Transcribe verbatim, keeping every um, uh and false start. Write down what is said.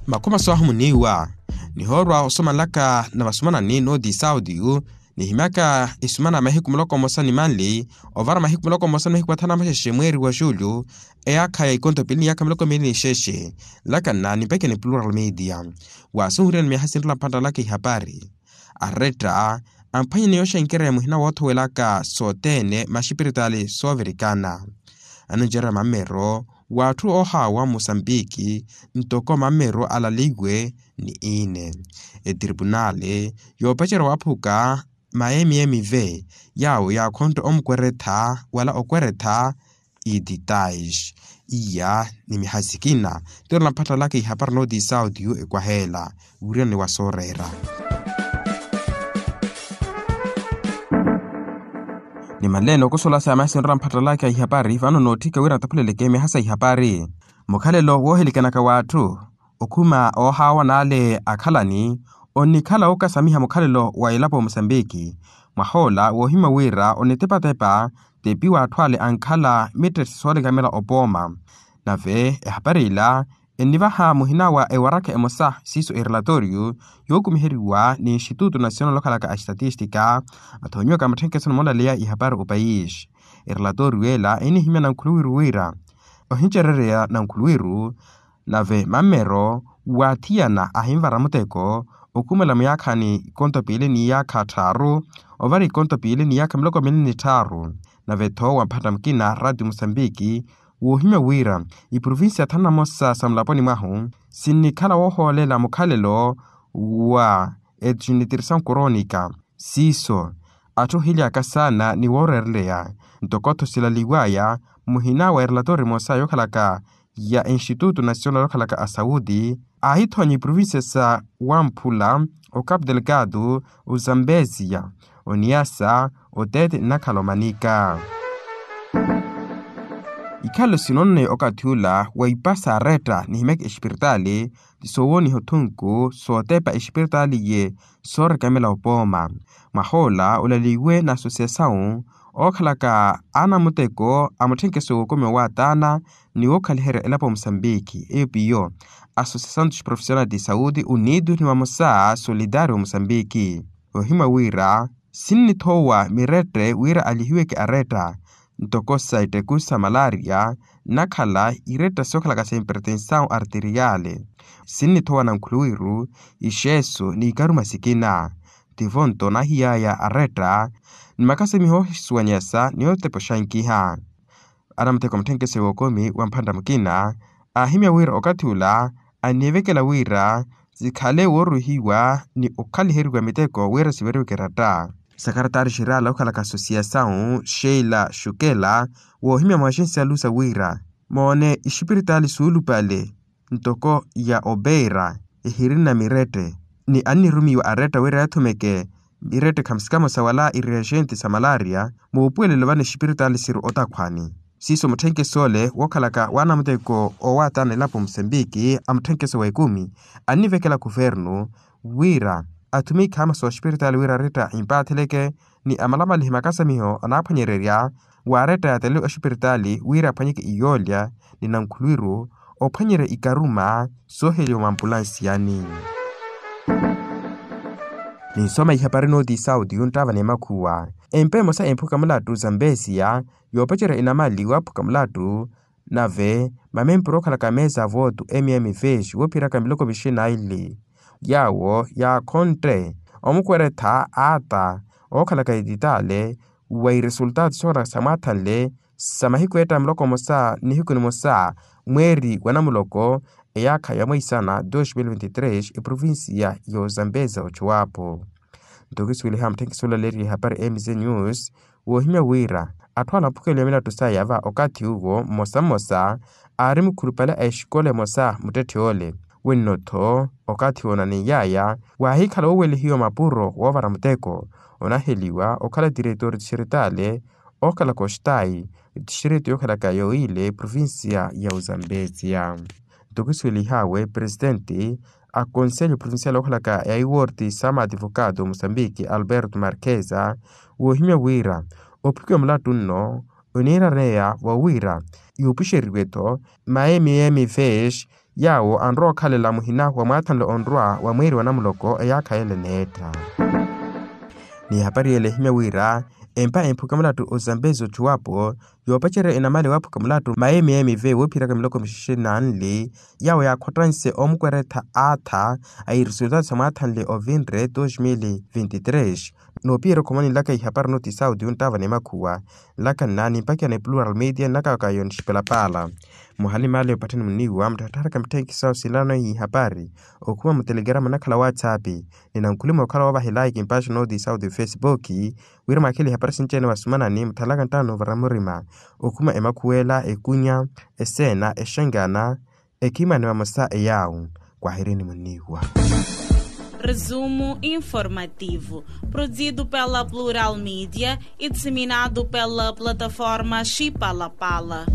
Makhuma swaahu muniiwa nihoorwa osomanlaka na vasumanani nooti sautiyu nihimyaka isumana mahiku muloko mmosa ni manli ovara mahiku muloko mmosa ni mahiku mathanu na maxexe mweeri wa julho eyaakha ya ikonto piili ni yaakha miloko miili ni xexe. Nlakana ni mpeke ni plural media waasunhuriwa ni miyaha sinrela mphantta laka ihapari aretta amphwanyani yooxenkereya muhina woothowelaka sothene maxipiritaali soovirikana anoncerya mammero w'atthu oohaawa mmusambiki ntoko mammero alaliwe ni iine etiripunaali yoopacerya waaphuka ma m m v yaawo yaakhontte omukweretha wala okweretha ititais iya ni mihasikina. Tirola mpattalaka ihapari nooti sautiyu ekwaheela wiriwani wa sooreera ni manleene okusola sa masinrola mpattalaka ihapari vano nootthika wira ntaphuleleke miha sa ihapari mukhalelo woohilikanaka w'atthu okhuma oohaawa n'ale akhalani onnikhala wookasamiha mukhalelo wa elapo musambiki mwahoola woohimya wira onitepatepa tepi w'atthu ale ankhala mittetti soolekamela opooma nave ehapari ila ennivaha muhina wa ewarakha emosa siiso erelatoriyo yookumiheriwa ni institutu nasional okhalaka a estatistika athoonyiwaka mutthenkeso ni moolaleya ihapari opayisi erelatoriyo ela enihimya nankhuluwiru wira ohincerereya nankhuluwiru nave mammero waathiyana ahinvara muteko okhumela muyaakhani ikonto piili ni yaakha tthaaru ovara ikonto piili ni yaakha miloko miili ni tthaaru nave-tho wa mphatta mukina ratio musambiki woohimya wira iprovincia thanu na mosa sa mulaponi mwahu sinnikhala woohoolela mukhalelo wa etxinitirisawu koronika siiso atthu ohilyaka saana ni wooreereleya ntoko-tho silaliw'aya muhina wa erelatori emosa yookhalaka ya institutu nasional yookhalaka asauti aahithoonya iprovincia sa wamphula ocapu delgado ozambesia oniasa otete nnakhala omanika ikhalelo sinonne okathi ula wa ipasa aretta nihimyaka espiritaali ti soowoniha othunku sootepa espiritaali iye soorekamela opooma mwahoola olaliwe na asosiyasawu ookhalaka anamuteko a mutthenkeso w'okumi owaataana ni wookhaliherya elapo musambiki eyo piyo asosiyasawu ti profissional ti sauti unitu ni vamosa solitario musambiki ohimwa wira sinnithoowa mirette wira alihiweke aretta ntoko sa itteku sa malaria nnakhala iretta sookhalaka sa impertensawu arteriale sinnithoowa nankhuluwiru ixeeso ni ikaruma sikina tivo nto naahiy'aya aretta ni makasimiho oohisuwanyasa ni ootepa oxankiha anamuteko mutthenkeso w'okumi wa mphantta mukina aahimya wira okathi ula anniivekela wira sikhale wooruhiwa ni okhaliheriwa miteko wira siveriweke eratta sakaratari xirala okhalaka asosiyasawu sheila xukela woohimya mwaxinsi alusa wira moone ixipiritaali suulupale ntoko ya opeira ehirina mirette ni annirumiwa aretta wira yathumeke mirette khamusikamo sa wala ireagente sa malaria muupuwelelo vano exipiritaali siri otakhwani siiso mutthenkeso ole wookhalaka waanamuteko oowaatana elapo musambiki a mutthenkeso w'ekumi annivekela kuvernu wira athume ikhaama sooxipiritaali wira aretta impaatheleke ni amalamalihe makasamiho anaaphwanyererya waaretta yaatele oxipiritaali wira aphwanyeke iyoolya ni nankhuluwiru ophwanyerya ikaruma sooheliwa mwampulansiyani ninsoma ihapari nooti sauti yunttaava ni makhuwa empa emosa emphuka mulattu zambesiya yoopacerya inamali waaphuka mulattu nave mamempuru ookhalaka meesa a vootu mm vex woophiraka miloko vixinaili yaawo yaakhontte omukweretha aata ookhalaka etitaale wa iresultaatu sookhalaka samwaathanle sa mahiku eetta muloko mmosa nihiku nimosa mweeri wa namuloko eyaakha ya mweisana dos mil veintitrês eprovincia ya ozambeza ochuwapo nto kisuweliha mutthenkisi olaleeriye hapari mz news woohimya wira atthu ala aphukeliwa milattu saya va okathi uwo mmosa mmosa aari mukhulupale a exikola emosa muttetthe ole wenno-tho okathi woonaneiyaya waahikhala woowelihiwa mapuro woovara muteko onaheliwa okhala tiretori tixiritaale ookhalaka oxitayi tixiriti yookhalaka yoile provincia ya ozambezia nto kisuwelihawe presitenti a konselho provincial ookhalaka ya iworti sa maadivokaato musambiki alberto marqueza woohimya wira ophukiwa mulattu nno oniiraneya wa wira yuupuxeriwe-tho ma mm vex Yaawo anrowa okhalela muhina wa mwaathanle onrwa wa mweeri wa namuloko eyaakha yele neetta. Ni ehapari yele ehimya wira empa emphuka mulattu ozambezi ochuwapo yoopacerya enamale waaphuka mulattu mayemeyemevi woophiraka miloko mixexe nanli. Yaawo yaakhottanse omukweretha aatha a iresultato sa mwaathanle ovinre dos mil vinti tres. Noopiyerya okhomani nlaka ihapari noti sauti yunttava ni makhuwa nlaka nna nimpakiya ni plural media nlaka kayo nixipela paala. Muhani maale opatthani muniiwa mutthattharaka mitthekisawo sinlano ihapari okhuma mutelegrama nakhala whatsapp ni nankhulima okhala woovahela ikimpaxo noti sauti facebook. Wira mwakhele ihapari sinci-ene wasumanani muthalaka nttano vara murima okhuma emakhuwela ekunya eseena exengana ekhimani vamosa eyaawu. Kwahirini muniiwa. Resumo informativo, produzido pela plural media e disseminado pela plataforma xipalapala.